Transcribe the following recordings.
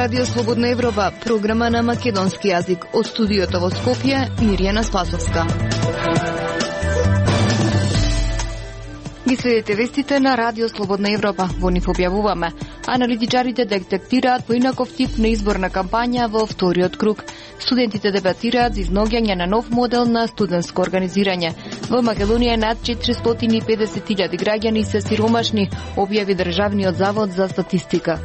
Радио Слободна Европа, програма на македонски јазик. Од студиото во Скопје, Мирјана Спасовска. Ги следите вестите на Радио Слободна Европа. Во нив објавуваме. Аналитичарите детектираат поинаков тип на изборна кампања во вториот круг. Студентите дебатираат за изноѓање на нов модел на студентско организирање. Во Македонија над 450.000 граѓани се сиромашни, објави Државниот завод за статистика.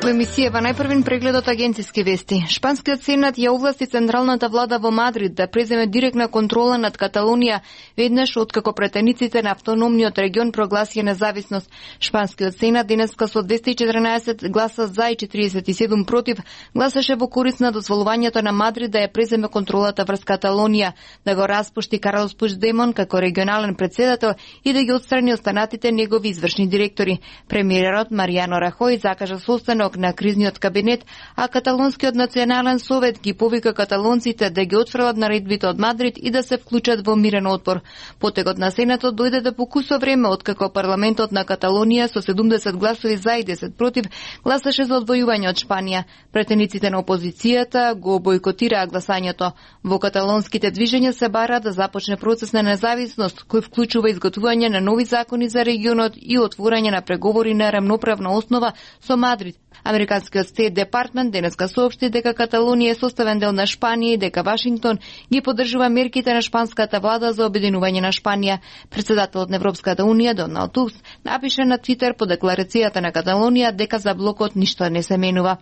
Во емисијава најпрвен преглед од агенциски вести. Шпанскиот сенат ја овласти централната влада во Мадрид да преземе директна контрола над Каталонија, веднаш откако претениците на автономниот регион прогласија независност. Шпанскиот сенат денеска со 214 гласа за и 47 против гласаше во корист на дозволувањето на Мадрид да ја преземе контролата врз Каталонија, да го распушти Карлос Пучдемон како регионален председател и да ги отстрани останатите негови извршни директори. Премиерот Маријано Рахој закажа состанок на кризниот кабинет, а Каталонскиот национален совет ги повика каталонците да ги отфрлат наредбите од Мадрид и да се вклучат во мирен отпор. Потегот на Сенатот дојде да покусо време откако парламентот на Каталонија со 70 гласови за и 10 против гласаше за одвојување од Шпанија. Претениците на опозицијата го бойкотираа гласањето. Во каталонските движења се бара да започне процес на независност кој вклучува изготвување на нови закони за регионот и отворање на преговори на рамноправна основа со Мадрид. Американскиот Стейт Департмент денеска соопшти дека Каталонија е составен дел на Шпанија и дека Вашингтон ги поддржува мерките на шпанската влада за обединување на Шпанија. Председателот на Европската унија Доналд Туск напише на Твитер по декларацијата на Каталонија дека за блокот ништо не се менува.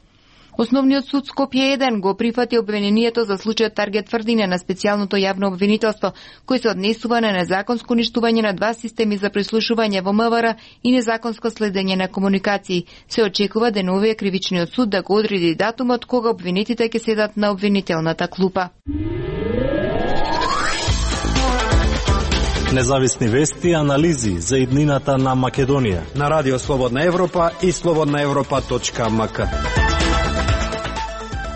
Основниот суд Скопје 1 го прифати обвинението за случајот Таргет Тврдине на специјалното јавно обвинителство, кој се однесува на незаконско уништување на два системи за прислушување во МВР и незаконско следење на комуникации. Се очекува деновија кривичниот суд да го одреди датумот кога обвинетите ќе седат на обвинителната клупа. Независни вести и анализи за иднината на Македонија на Радио Слободна Европа и slobodnaevropa.mk.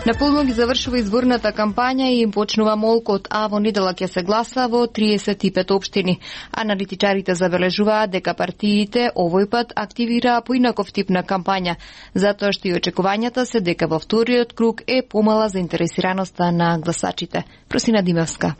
Наполно ги завршува изборната кампања и им почнува молкот, а во недела ќе се гласа во 35 општини. Аналитичарите забележуваат дека партиите овој пат активираа поинаков тип на кампања, затоа што и очекувањата се дека во вториот круг е помала заинтересираноста на гласачите. Просина Димевска.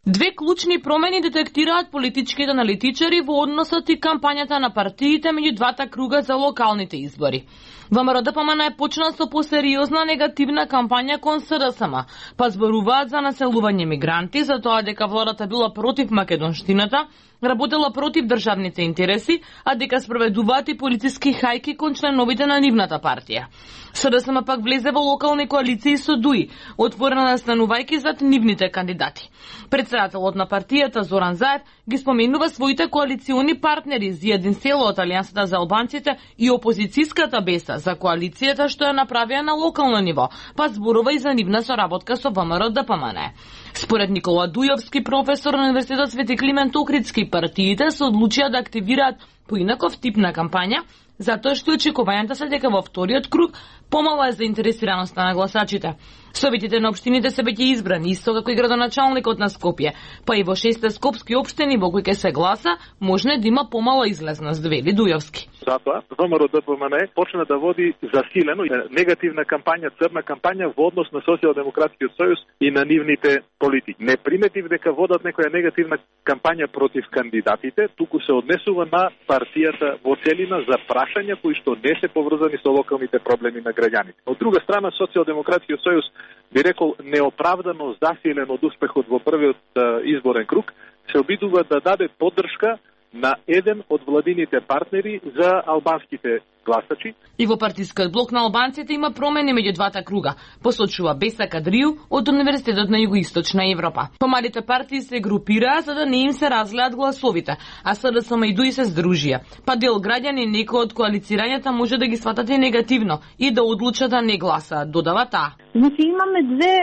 Две клучни промени детектираат политичките аналитичари во односот и кампањата на партиите меѓу двата круга за локалните избори. ВМРО ДПМН е почна со посериозна негативна кампања кон СДСМ, па зборуваат за населување мигранти, за тоа дека владата била против македонштината, работела против државните интереси, а дека спроведуваат и полициски хајки кон членовите на нивната партија. СДСМ пак влезе во локални коалиции со ДУИ, отворена настанувајќи зад нивните кандидати. Председателот на партијата Зоран Заев ги споменува своите коалициони партнери Зијадин Село од Алијансата за албанците и опозицијската Беса за коалицијата што ја направија на локално ниво, па зборува и за нивна соработка со ВМРО ДПМН. Според Никола Дујовски, професор на Универзитетот Свети Климент Охридски, партиите се одлучија да активираат поинаков тип на кампања, затоа што очекувањата се дека во вториот круг помала е заинтересираноста на гласачите. Советите на општините се веќе избрани, исто како и градоначалникот на Скопје, па и во 6 скопски општини во кои ќе се гласа, може да има помала излезност, вели Дујовски. Затоа ВМРО ДПМН почна да води засилено негативна кампања, црна кампања во однос на Социјалдемократскиот сојуз и на нивните политики. Не приметив дека водат некоја негативна кампања против кандидатите, туку се однесува на партијата во целина за прашања кои што не се поврзани со локалните проблеми на граѓаните. Од друга страна, Социјалдемократскиот сојуз би рекол неоправдано засилен од успехот во првиот изборен круг, се обидува да даде поддршка на еден од владините партнери за албанските гласачи. И во партискиот блок на албанците има промени меѓу двата круга, посочува Беса Кадрију од Универзитетот на Југоисточна Европа. Помалите партии се групираа за да не им се разлеат гласовите, а СДСМ и ДУИ се здружија. Па дел граѓани некои од коалицирањата може да ги сватат и негативно и да одлучат да не гласаат, додава таа. Значи имаме две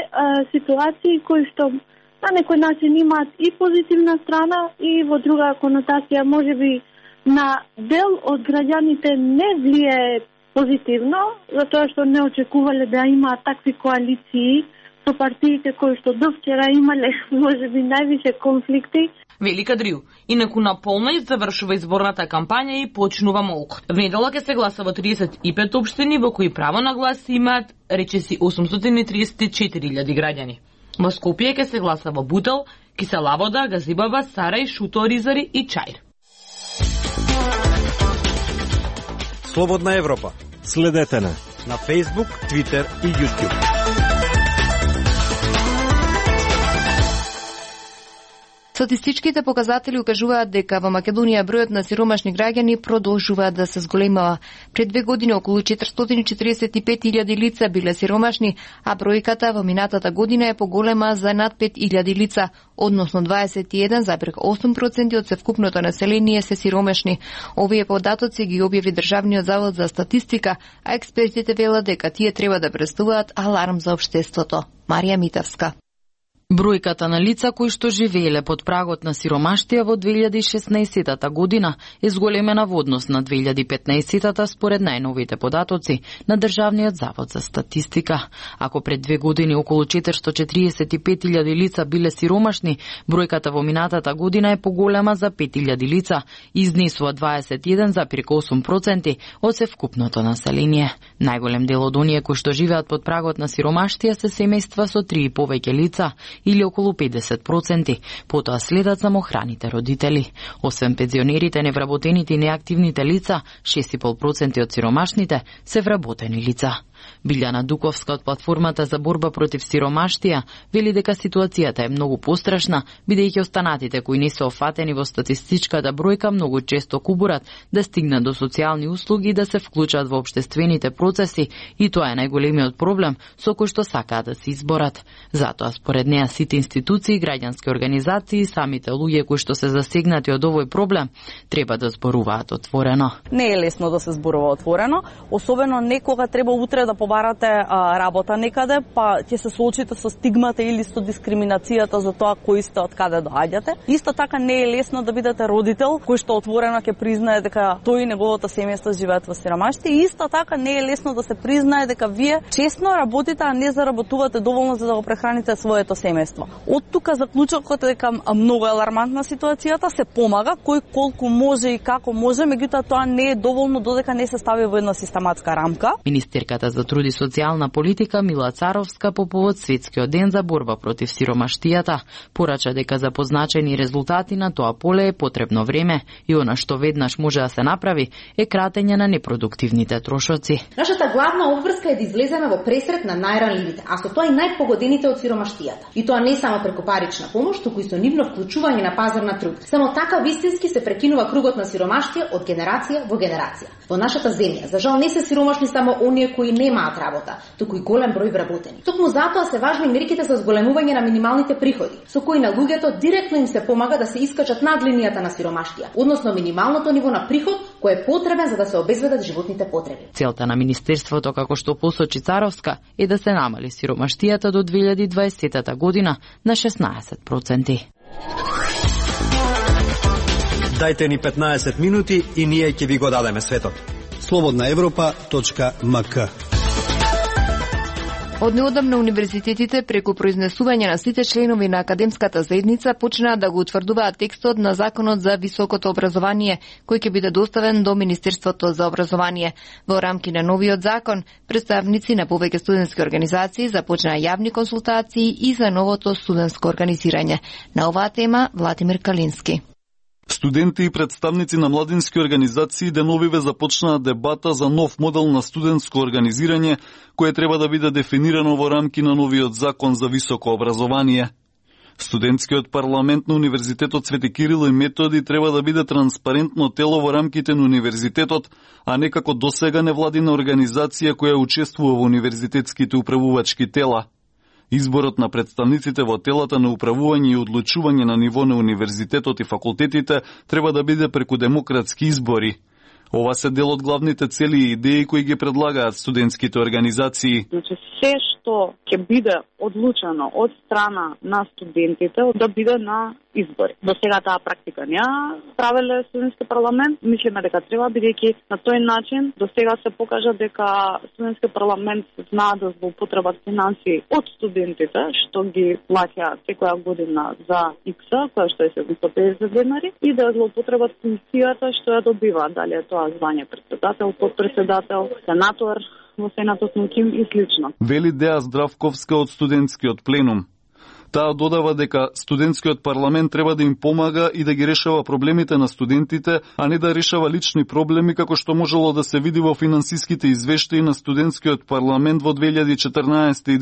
ситуации кои што на некој начин имаат и позитивна страна и во друга конотација можеби на дел од граѓаните не влие позитивно, затоа што не очекувале да имаат такви коалиции со партиите кои што до вчера имале можеби највише конфликти. вели Кадриу. Инаку наполно завршува изборната кампања и почнува молк. Внедела ќе се гласа во 35 општини во кои право на глас имаат речиси 834.000 граѓани. Во Скопје ќе се гласа во Бутел, Кисела Вода, Газибаба, Сарај, Шуто, Ризари и Чаир. Слободна Европа. Следете на Facebook, Twitter и YouTube. Статистичките показатели укажуваат дека во Македонија бројот на сиромашни граѓани продолжуваат да се зголемува. Пред 2 години околу 445.000 лица биле сиромашни, а бројката во минатата година е поголема за над 5.000 лица, односно 21,8% од севкупното население се сиромашни. Овие податоци ги објави Државниот завод за статистика, а експертите велат дека тие треба да представуваат аларм за општеството. Марија Митевска. Бројката на лица кои што живееле под прагот на сиромаштија во 2016 година е зголемена во однос на 2015 според најновите податоци на Државниот завод за статистика. Ако пред 2 години околу 445.000 лица биле сиромашни, бројката во минатата година е поголема за 5.000 лица и изнесува 21,8% од севкупното население. Најголем дел од оние кои што живеат под прагот на сиромаштија се семејства со 3 и повеќе лица, или околу 50%, потоа следат самохраните родители. Освен пензионерите, невработените и неактивните лица, 6,5% од сиромашните се вработени лица. Билјана Дуковска од платформата за борба против сиромаштија вели дека ситуацијата е многу пострашна, бидејќи останатите кои не се офатени во статистичката бројка многу често кубурат да стигнат до социјални услуги и да се вклучат во општествените процеси, и тоа е најголемиот проблем со кој што сакаат да се изборат. Затоа според неа сите институции, граѓански организации и самите луѓе кои што се засегнати од овој проблем треба да зборуваат отворено. Не е лесно да се зборува отворено, особено некога треба утре да побарате работа некаде, па ќе се соочите со стигмата или со дискриминацијата за тоа кои сте, од каде доаѓате. Исто така не е лесно да бидете родител кој што отворено ќе признае дека тој и неговото семејство живеат во сиромаштија. Исто така не е лесно да се признае дека вие честно работите, а не заработувате доволно за да го прехраните своето семејство. Од тука заклучокот е дека многу алармантна ситуацијата, се помага кој колку може и како може, меѓутоа тоа не е доволно додека не се стави во една систематска рамка. Министерката за труд и социјална политика Мила Царовска по повод Светскиот ден за борба против сиромаштијата порача дека за позначени резултати на тоа поле е потребно време и она што веднаш може да се направи е кратење на непродуктивните трошоци. Нашата главна обврска е да излеземе во пресрет на најранливите, а со тоа и најпогодените од сиромаштијата. И тоа не само преку парична помош, туку и со нивно вклучување на пазар на труд. Само така вистински се прекинува кругот на сиромаштија од генерација во генерација. Во нашата земја, за жал, не се сиромашни само оние кои немаат работа, туку и голем број вработени. Токму затоа се важни мерките за зголемување на минималните приходи, со кои на луѓето директно им се помага да се искачат над линијата на сиромаштија, односно минималното ниво на приход кој е потребен за да се обезбедат животните потреби. Целта на министерството, како што посочи Царовска, е да се намали сиромаштијата до 2020 година на 16%. Дајте ни 15 минути и ние ќе ви го дадеме светот. slobodnaevropa.mk. Од неодамна универзитетите преку произнесување на сите членови на академската заедница почнаа да го утврдуваат текстот на Законот за високото образование, кој ќе биде доставен до Министерството за образование. Во рамки на новиот закон, представници на повеќе студентски организации започнаа јавни консултации и за новото студентско организирање. На оваа тема Владимир Калински. Студенти и представници на младински организации деновиве започнаа дебата за нов модел на студентско организирање, кое треба да биде дефинирано во рамки на новиот закон за високо образование. Студентскиот парламент на Универзитетот Свети Кирил и Методи треба да биде транспарентно тело во рамките на универзитетот, а не како досега невладина организација која учествува во универзитетските управувачки тела. Изборот на представниците во телата на управување и одлучување на ниво на универзитетот и факултетите треба да биде преку демократски избори. Ова се дел од главните цели и идеи кои ги предлагаат студентските организации. Значи, се што ќе биде одлучено од страна на студентите да биде на избори. До сега таа практика не правеле студентски парламент. Мислиме дека треба, бидејќи на тој начин до сега се покажа дека студентски парламент знаат да злоупотребат финансии од студентите, што ги плаќа секоја година за икса, која што е 750 денари, и да злоупотребат функцијата што ја добива, дали е тоа звање председател, подпредседател, сенатор во Сенатот на КИМ и слично. Вели Деа Здравковска од студентскиот пленум. Таа додава дека студентскиот парламент треба да им помага и да ги решава проблемите на студентите, а не да решава лични проблеми како што можело да се види во финансиските извештаи на студентскиот парламент во 2014 и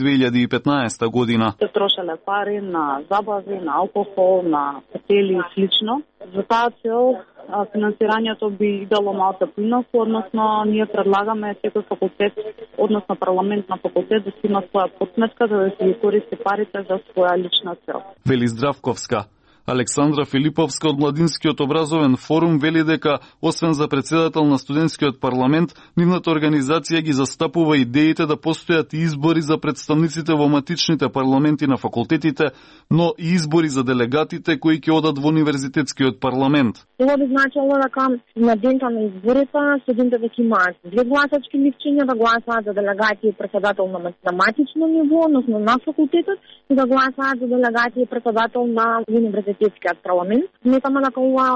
2015 година. Се трошеле пари на забави, на алкохол, на хотели и слично. За таа цел финансирањето би дало малку поинаку, односно ние предлагаме секој факултет, односно парламент на факултет да си има своја подсметка за да се ги користи парите за своја лична цел. Вели Здравковска. Александра Филиповска од Младинскиот образовен форум вели дека, освен за председател на студентскиот парламент, нивната организација ги застапува идеите да постојат избори за представниците во матичните парламенти на факултетите, но и избори за делегатите кои ќе одат во универзитетскиот парламент. Тоа би значило дека на дента на изборите студентите ќе имаат две гласачки листчиња, да гласаат за делегати и председател на математично ниво, односно на факултетот, и да гласаат за делегати и председател на универзитетскиот парламент. Сметаме дека ова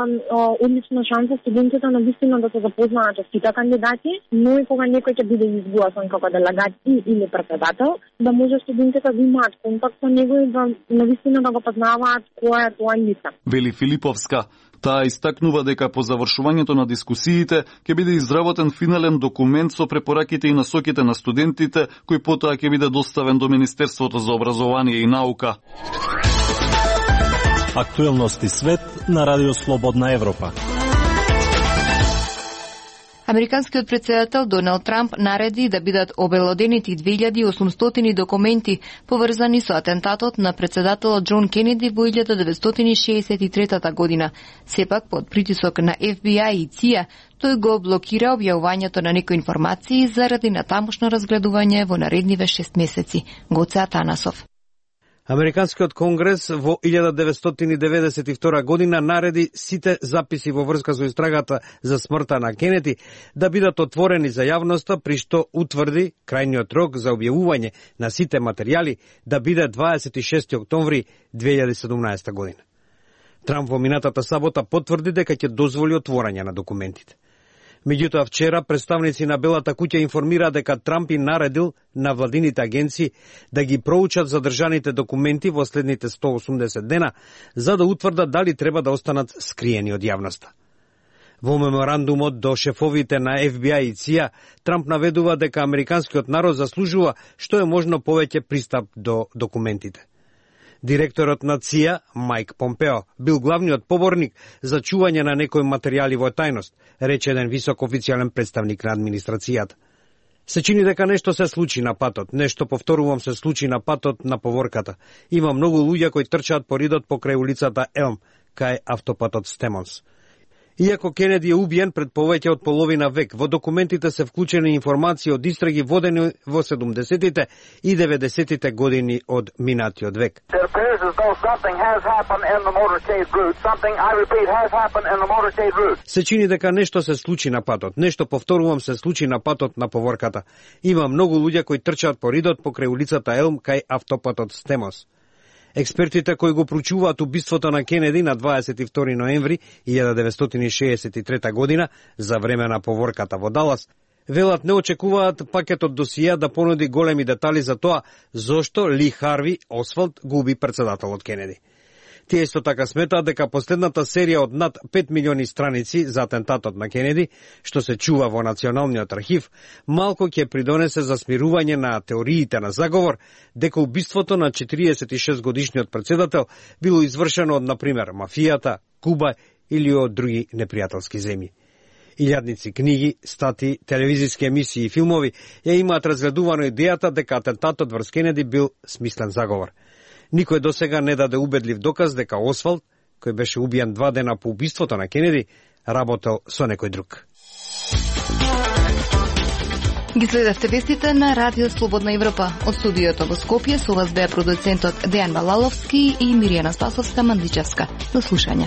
одлична шанса студентите навистина да се запознаат со сите кандидати, но и кога некој ќе биде изгласан како делегат или председател, да може студентите да имаат контакт со него и да навистина да го познаваат која е тоа лице. Вели Филиповска. Таа истакнува дека по завршувањето на дискусиите ќе биде изработен финален документ со препораките и насоките на студентите, кој потоа ќе биде доставен до Министерството за образование и наука. Актуелности свет на Радио Слободна Европа. Американскиот председател Доналд Трамп нареди да бидат обелоденети 2800 документи поврзани со атентатот на председателот Џон Кенеди во 1963 година. Сепак, под притисок на FBI и ЦИА, тој го блокира објавувањето на некои информации заради натамошно разгледување во наредниве 6 месеци. Гоце Атанасов. Американскиот конгрес во 1992 година нареди сите записи во врска со истрагата за смртта на Кенеди да бидат отворени за јавноста, при што утврди крајниот рок за објавување на сите материјали да биде 26 октомври 2017 година. Трамп во минатата сабота потврди дека ќе дозволи отворање на документите. Меѓутоа, вчера представници на Белата куќа информира дека Трамп и наредил на владините агенции да ги проучат задржаните документи во следните 180 дена, за да утврдат дали треба да останат скриени од јавноста. Во меморандумот до шефовите на FBI и ЦИА, Трамп наведува дека американскиот народ заслужува што е можно повеќе пристап до документите. Директорот на ЦИА, Майк Помпео, бил главниот поборник за чување на некои материјали во тајност, рече еден висок официјален представник на администрацијата. Се чини дека нешто се случи на патот, нешто, повторувам, се случи на патот на поворката. Има многу луѓе кои трчаат по ридот покрај улицата Елм, кај автопатот Стемонс. Иако Кенеди е убиен пред повеќе од половина век, во документите се вклучени информации од истраги водени во 70-тите и 90-тите години од минатиот век. Се чини дека нешто се случи на патот, нешто, повторувам, се случи на патот на поворката. Има многу луѓе кои трчаат по ридот покрај улицата Елм кај автопатот Стемонс. Експертите кои го проучуваат убиството на Кенеди на 22 ноември 1963 година за време на поворката во Далас, велат не очекуваат пакетот досија да понуди големи детали за тоа зошто Ли Харви Освалд го уби председателот Кенеди. Тие исто така сметаат дека последната серија од над 5 милиони страници за атентатот на Кенеди, што се чува во Националниот архив, малку ќе придонесе за смирување на теориите на заговор дека убиството на 46 годишниот председател било извршено од, например, мафијата, Куба или од други непријателски земји. Илјадници книги, стати, телевизиски емисии и филмови ја имаат разгледувано идејата дека атентатот врз Кенеди бил смислен заговор. Никој досега не даде убедлив доказ дека Освалд, кој беше убиен 2 дена по убиството на Кенеди, работел со некој друг. Ги следевте вестите на Радио Слободна Европа. Од студиото во Скопје со вас беа продуцентот Дејан Балаловски и Миријана Спасовска Мандличевска. До слушање.